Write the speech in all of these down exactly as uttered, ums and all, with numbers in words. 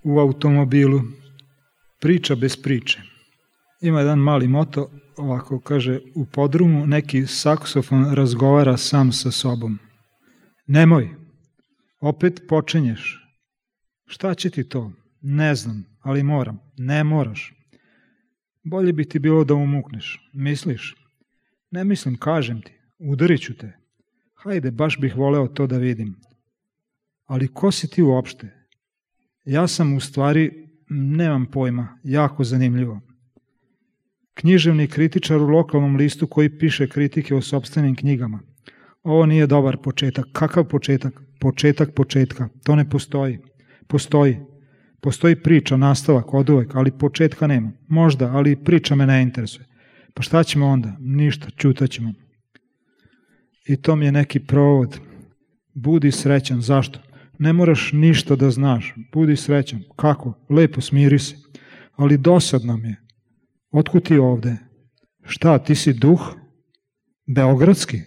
u automobilu. Priča bez priče. Ima jedan mali moto, ovako kaže, u podrumu neki saksofon razgovara sam sa sobom. Nemoj, opet počinješ. Šta će ti to? Ne znam, ali moram. Ne moraš. Bolje bi ti bilo da umukneš. Misliš? Ne mislim, kažem ti. Udarit ću te. Hajde, baš bih voleo to da vidim. Ali ko si ti uopšte? Ja sam u stvari, nemam pojma, jako zanimljivo. Književni kritičar u lokalnom listu koji piše kritike o sopstvenim knjigama. Ovo nije dobar početak. Kakav početak? Početak početka. To ne postoji. Postoji. Postoji priča, nastavak, oduvek, ali početka nema. Možda, ali priča me ne interesuje. Pa šta ćemo onda? Ništa, ćutaćemo. I to mi je neki provod. Budi srećan. Zašto? Ne moraš ništa da znaš. Budi srećan. Kako? Lepo, smiri se. Ali dosadno mi je. Otkud ti ovde? Šta, ti si duh? Beogradski?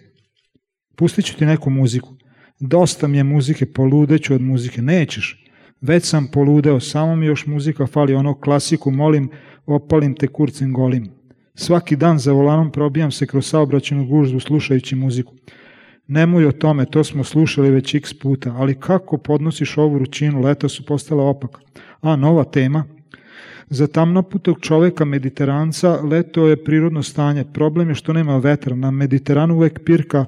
Pustit ću ti neku muziku. Dosta mi je muzike, poludeću od muzike. Nećeš. Već sam poludeo, samo mi još muzika fali, ono klasiku, molim, opalim te kurcem golim. Svaki dan za volanom probijam se kroz saobraćajnu gužvu slušajući muziku. Nemoj o tome, to smo slušali već x puta, ali kako podnosiš ovu vrućinu, leta su postala opaka. A, nova tema. Za tamnoputog čoveka mediteranca leto je prirodno stanje. Problem je što nema vetra. Na Mediteranu uvek pirka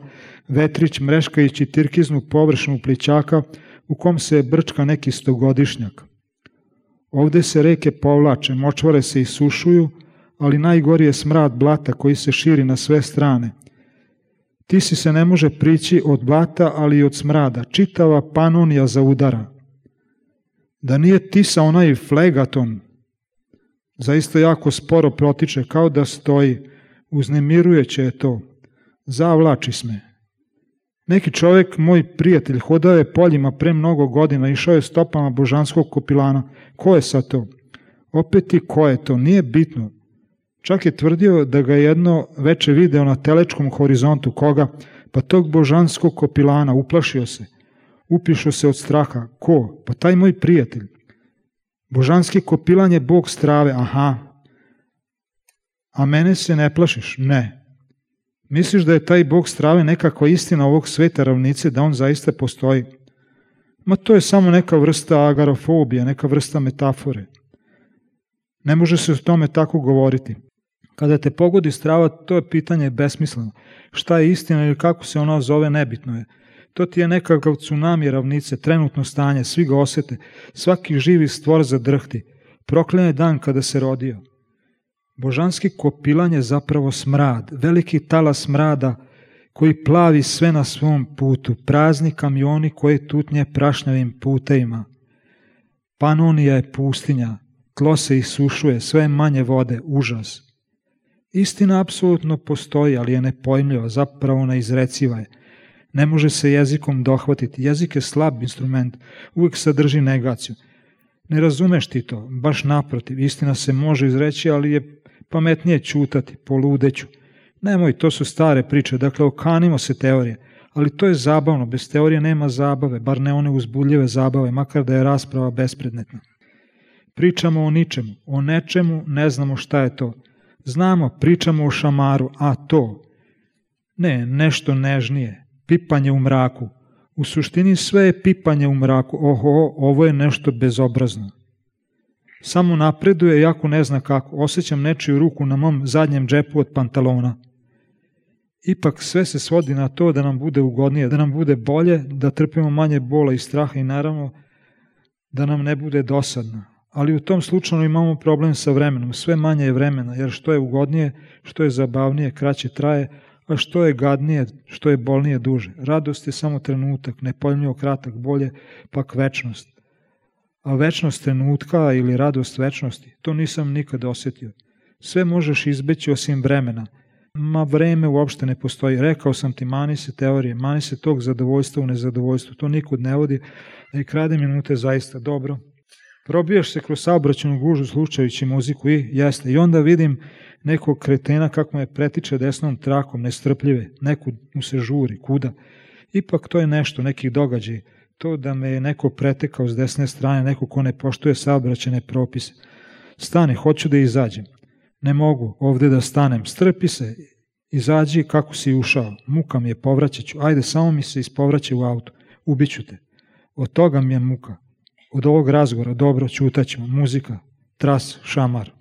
vetrić mreškajući tirkiznu površinu plićaka u kom se brčka neki stogodišnjak. Ovde se reke povlače, močvare se isušuju, ali najgori je smrad blata koji se širi na sve strane. Tisi se ne može prići od blata, ali i od smrada. Čitava Panonija zaudara. Da nije Tisa onaj flegaton, zaista jako sporo protiče, kao da stoji. Uznemirujuće je to. Zavlači sme. Neki čovjek, moj prijatelj, hodao je poljima pre mnogo godina, išao je stopama božanskog kopilana. Ko je sad to? Opet i ko je to? Nije bitno. Čak je tvrdio da ga jedno veče video na telečkom horizontu. Koga? Pa tog božanskog kopilana. Uplašio se. Upišao se od straha. Ko? Pa taj moj prijatelj. Božanski kopilan je bog strave. Aha. A mene se ne plašiš? Ne. Misliš da je taj bog strave nekakva istina ovog sveta ravnice, da on zaista postoji? Ma to je samo neka vrsta agarofobije, neka vrsta metafore. Ne može se o tome tako govoriti. Kada te pogodi strava, to je pitanje besmisleno. Šta je istina ili kako se ono zove, nebitno je. To ti je nekakav tsunami ravnice, trenutno stanje, svi ga osete, svaki živi stvor zadrhti. Proklen je dan kada se rodio. Božanski kopilan je zapravo smrad, veliki talas smrada koji plavi sve na svom putu, prazni kamioni koji tutnje prašnjavim putevima. Panonija je pustinja, tlo se isušuje, sve manje vode, užas. Istina apsolutno postoji, ali je nepojmljiva, zapravo neizreciva je. Ne može se jezikom dohvatiti, jezik je slab instrument, uvijek sadrži negaciju. Ne razumeš ti to, baš naprotiv, istina se može izreći, ali je pametnije ćutati, poludeću. Nemoj, to su stare priče, dakle okanimo se teorije, ali to je zabavno, bez teorije nema zabave, bar ne one uzbudljive zabave, makar da je rasprava bespredmetna. Pričamo o ničemu, o nečemu, ne znamo šta je to. Znamo, pričamo o šamaru, a to? Ne, nešto nežnije, pipanje u mraku. U suštini sve je pipanje u mraku, oho, ovo je nešto bezobrazno. Samo napreduje, jako ne zna kako, osjećam nečiju ruku na mom zadnjem džepu od pantalona. Ipak sve se svodi na to da nam bude ugodnije, da nam bude bolje, da trpimo manje bola i straha i naravno da nam ne bude dosadno. Ali u tom slučaju imamo problem sa vremenom, sve manje je vremena, jer što je ugodnije, što je zabavnije, kraće traje, a što je gadnije, što je bolnije, duže. Radost je samo trenutak, nepojmljivo kratak, bolje pak večnost. A večnost trenutka ili radost večnosti, to nisam nikad osjetio. Sve možeš izbeći osim vremena. Ma vreme uopšte ne postoji. Rekao sam ti, mani se teorije, mani se tog zadovoljstva u nezadovoljstvu. To nikud ne vodi, a i krade minute zaista dobro. Probijaš se kroz saobraćajnu gužvu slušajući muziku i jeste. I onda vidim nekog kretena kako me pretiče desnom trakom, nestrpljive. Nekud mu se žuri, kuda. Ipak to je nešto, neki događaj. to da me je neko pretekao s desne strane, neko ko ne poštuje saobraćajne propise. Stani, hoću da izađem. Ne mogu ovde da stanem, strpi se, izađi kako si ušao, muka mi je, povraćat ću, ajde samo mi se ispovraćaj u auto, ubiću te. Od toga mi je muka, od ovog razgovora, dobro, ćutaćemo, muzika, tras, šamar.